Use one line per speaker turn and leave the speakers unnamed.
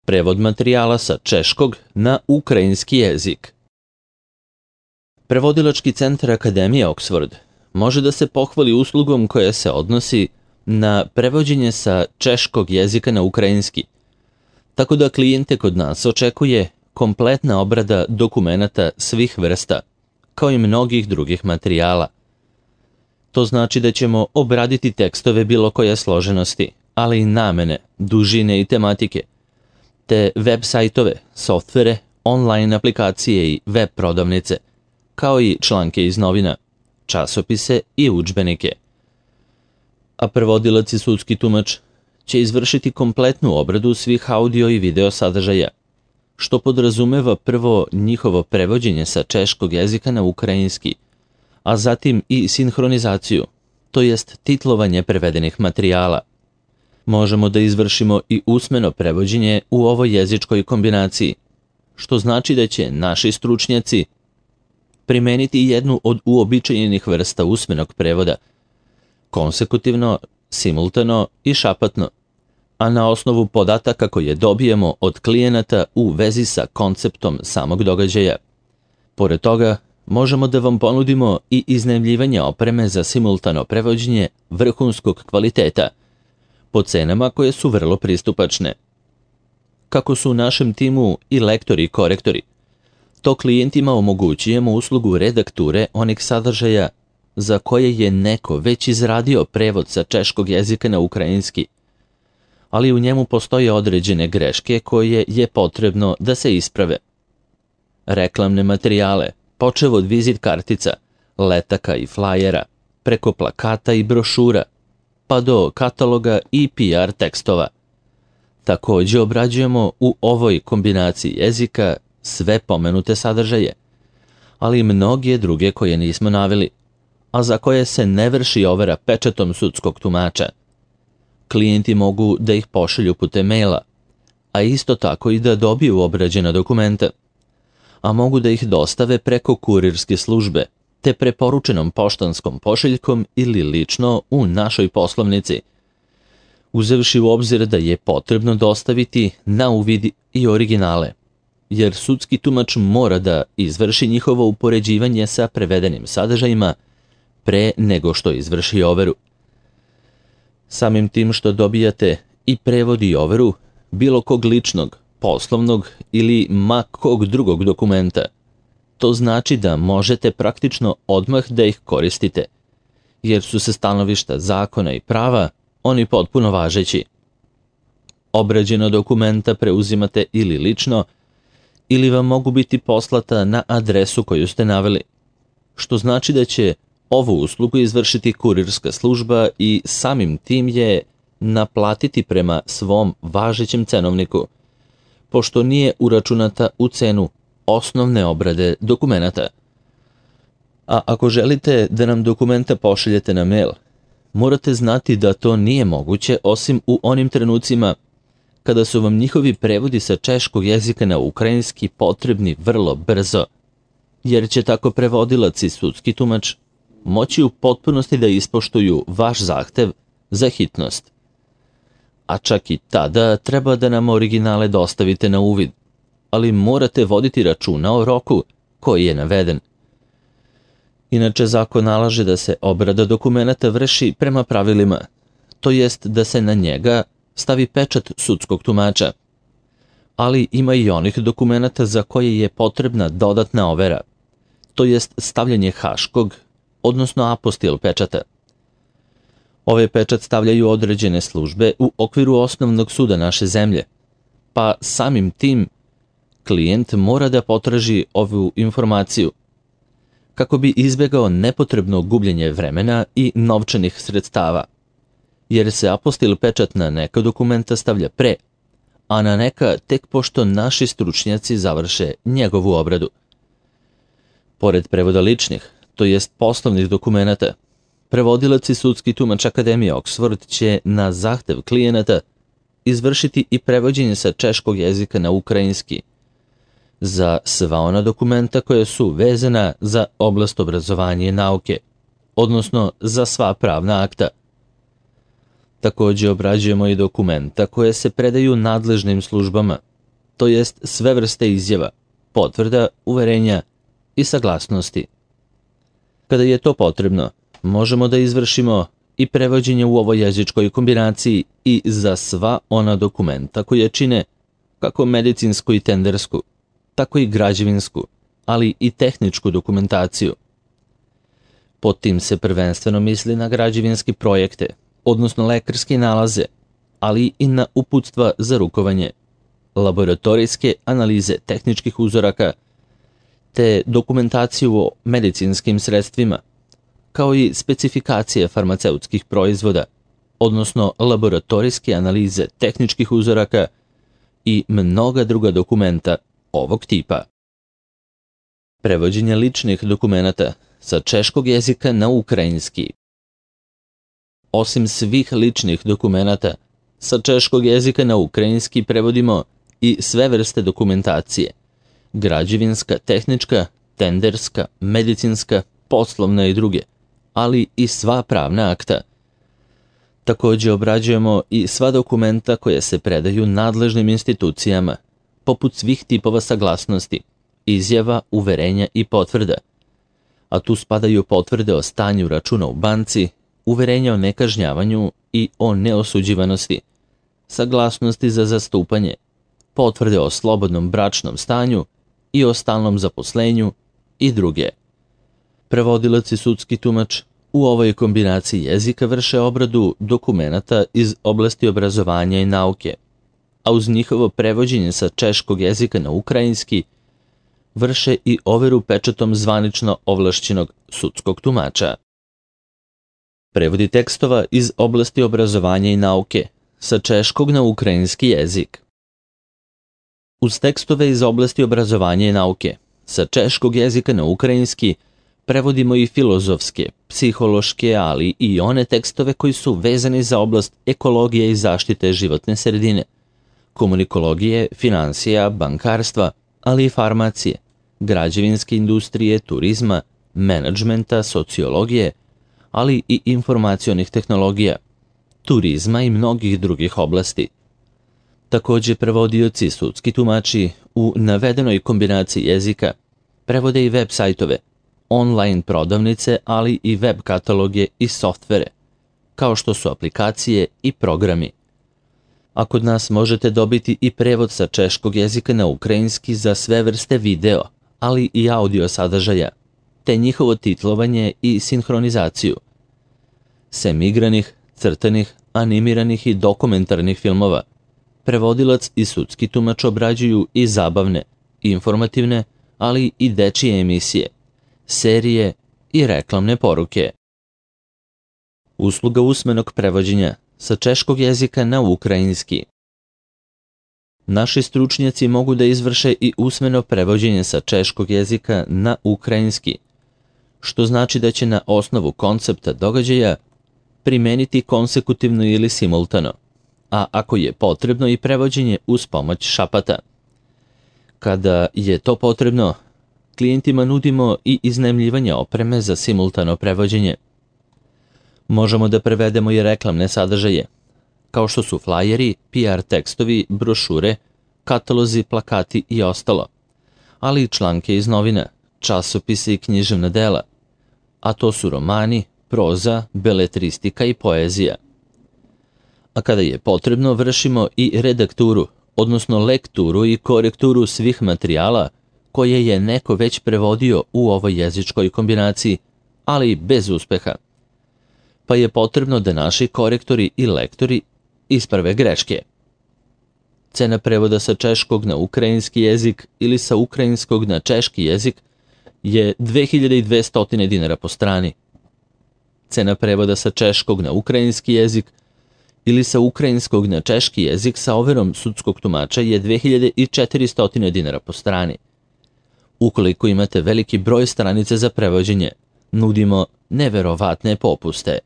Prevod materijala sa češkog na ukrajinski jezik. Prevodilački centar Akademije Oxford može da se pohvali uslugom koja se odnosi na prevođenje sa češkog jezika na ukrajinski, tako da klijente kod nas očekuje kompletna obrada dokumenata svih vrsta, kao i mnogih drugih materijala. To znači da ćemo obraditi tekstove bilo koje složenosti, ali i namene, dužine i tematike, te web sajtove, softvere, online aplikacije i web prodavnice, kao i članke iz novina, časopise i udžbenike. A prevodilac i sudski tumač će izvršiti kompletnu obradu svih audio i video sadržaja, što podrazumeva prvo njihovo prevođenje sa češkog jezika na ukrajinski, a zatim i sinhronizaciju, to jest titlovanje prevedenih materijala. Možemo da izvršimo i usmeno prevođenje u ovoj jezičkoj kombinaciji, što znači da će naši stručnjaci primeniti jednu od uobičajenih vrsta usmenog prevoda, konsekutivno, simultano i šapatno, a na osnovu podataka koje dobijemo od klijenata u vezi sa konceptom samog događaja. Pored toga, možemo da vam ponudimo i iznajmljivanje opreme za simultano prevođenje vrhunskog kvaliteta, po cenama koje su vrlo pristupačne. Kako su u našem timu i lektori i korektori, to klijentima omogućujemo uslugu redakture onih sadržaja za koje je neko već izradio prevod sa češkog jezika na ukrajinski, ali u njemu postoje određene greške koje je potrebno da se isprave. Reklamne materijale, počev od vizit kartica, letaka i flajera, preko plakata i brošura, pa do kataloga i PR tekstova. Također obrađujemo u ovoj kombinaciji jezika sve pomenute sadržaje, ali i mnoge druge koje nismo naveli, a za koje se ne vrši overa pečatom sudskog tumača. Klijenti mogu da ih pošalju putem maila, a isto tako i da dobiju obrađena dokumenta, a mogu da ih dostave preko kurirske službe, te preporučenom poštanskom pošiljkom ili lično u našoj poslovnici, uzevši u obzir da je potrebno dostaviti na uvid i originale, jer sudski tumač mora da izvrši njihovo upoređivanje sa prevedenim sadržajima pre nego što izvrši overu. Samim tim što dobijate i prevod i overu bilo kog ličnog, poslovnog ili ma kog drugog dokumenta, to znači da možete praktično odmah da ih koristite, jer su se stanovišta zakona i prava oni potpuno važeći. Obrađena dokumenta preuzimate ili lično, ili vam mogu biti poslata na adresu koju ste naveli, što znači da će ovu uslugu izvršiti kurirska služba i samim tim je naplatiti prema svom važećem cenovniku, pošto nije uračunata u cenu osnovne obrade dokumenata. A ako želite da nam dokumenta pošaljete na mail, morate znati da to nije moguće osim u onim trenucima kada su vam njihovi prevodi sa češkog jezika na ukrajinski potrebni vrlo brzo, jer će tako prevodilac i sudski tumač moći u potpunosti da ispoštuju vaš zahtev za hitnost. A čak i tada treba da nam originale dostavite na uvid, ali morate voditi računa o roku koji je naveden. Inače, zakon nalaže da se obrada dokumenata vrši prema pravilima, to jest da se na njega stavi pečat sudskog tumača, ali ima i onih dokumenata za koje je potrebna dodatna overa, to jest stavljanje haškog, odnosno apostil pečata. Ove pečat stavljaju određene službe u okviru osnovnog suda naše zemlje, pa samim tim klijent mora da potraži ovu informaciju, kako bi izbjegao nepotrebno gubljenje vremena i novčanih sredstava, jer se apostil pečat na neka dokumenta stavlja pre, a na neka tek pošto naši stručnjaci završe njegovu obradu. Pored prevoda ličnih, to jest poslovnih dokumenata, prevodilac i sudski tumač Akademije Oxford će na zahtev klijenata izvršiti i prevođenje sa češkog jezika na ukrajinski za sva ona dokumenta koja su vezana za oblast obrazovanja i nauke, odnosno za sva pravna akta. Također obrađujemo i dokumenta koje se predaju nadležnim službama, to jest sve vrste izjava, potvrda, uverenja i saglasnosti. Kada je to potrebno, možemo da izvršimo i prevođenje u ovoj jezičkoj kombinaciji i za sva ona dokumenta koje čine kako medicinsku i tendersku, tako i građevinsku, ali i tehničku dokumentaciju. Pod tim se prvenstveno misli na građevinske projekte, odnosno lekarske nalaze, ali i na uputstva za rukovanje, laboratorijske analize tehničkih uzoraka, te dokumentaciju o medicinskim sredstvima, kao i specifikacije farmaceutskih proizvoda, odnosno laboratorijske analize tehničkih uzoraka i mnoga druga dokumenta ovog tipa. Prevođenje ličnih dokumenata sa češkog jezika na ukrajinski. Osim svih ličnih dokumenata, sa češkog jezika na ukrajinski prevodimo i sve vrste dokumentacije, građevinska, tehnička, tenderska, medicinska, poslovna i druge, ali i sva pravna akta. Također obrađujemo i sva dokumenta koje se predaju nadležnim institucijama, poput svih tipova saglasnosti, izjava, uverenja i potvrda, a tu spadaju potvrde o stanju računa u banci, uverenja o nekažnjavanju i o neosuđivanosti, saglasnosti za zastupanje, potvrde o slobodnom bračnom stanju i o stalnom zaposlenju i druge. Prevodilac i sudski tumač u ovoj kombinaciji jezika vrše obradu dokumenata iz oblasti obrazovanja i nauke, a uz njihovo prevođenje sa češkog jezika na ukrajinski vrše i overu pečatom zvanično ovlašćenog sudskog tumača. Prevodi tekstova iz oblasti obrazovanja i nauke sa češkog na ukrajinski jezik. Uz tekstove iz oblasti obrazovanja i nauke sa češkog jezika na ukrajinski prevodimo i filozofske, psihološke, ali i one tekstove koji su vezani za oblast ekologije i zaštite životne sredine, komunikologije, financija, bankarstva, ali i farmacije, građevinske industrije, turizma, menadžmenta, sociologije, ali i informacionih tehnologija, turizma i mnogih drugih oblasti. Također prevodioci i sudski tumači u navedenoj kombinaciji jezika prevode i web sajtove, online prodavnice, ali i web kataloge i softvere, kao što su aplikacije i programi. A kod nas možete dobiti i prevod sa češkog jezika na ukrajinski za sve vrste video, ali i audio sadržaja, te njihovo titlovanje i sinhronizaciju. Sem igranih, crtanih, animiranih i dokumentarnih filmova, prevodilac i sudski tumač obrađuju i zabavne, informativne, ali i dečije emisije, serije i reklamne poruke. Usluga usmenog prevođenja sa češkog jezika na ukrajinski. Naši stručnjaci mogu da izvrše i usmeno prevođenje sa češkog jezika na ukrajinski, što znači da će na osnovu koncepta događaja primeniti konsekutivno ili simultano, a ako je potrebno i prevođenje uz pomoć šapata. Kada je to potrebno, klijentima nudimo i iznajmljivanje opreme za simultano prevođenje. Možemo da prevedemo i reklamne sadržaje, kao što su flajeri, PR tekstovi, brošure, katalozi, plakati i ostalo, ali i članke iz novina, časopise i književna dela, a to su romani, proza, beletristika i poezija. A kada je potrebno, vršimo i redakturu, odnosno lekturu i korekturu svih materijala koje je neko već prevodio u ovoj jezičkoj kombinaciji, ali bez uspeha. Pa je potrebno da naši korektori i lektori isprave greške. Cena prevoda sa češkog na ukrajinski jezik ili sa ukrajinskog na češki jezik je 2200 dinara po strani. Cena prevoda sa češkog na ukrajinski jezik ili sa ukrajinskog na češki jezik sa overom sudskog tumača je 2400 dinara po strani. Ukoliko imate veliki broj stranica za prevođenje, nudimo neverovatne popuste.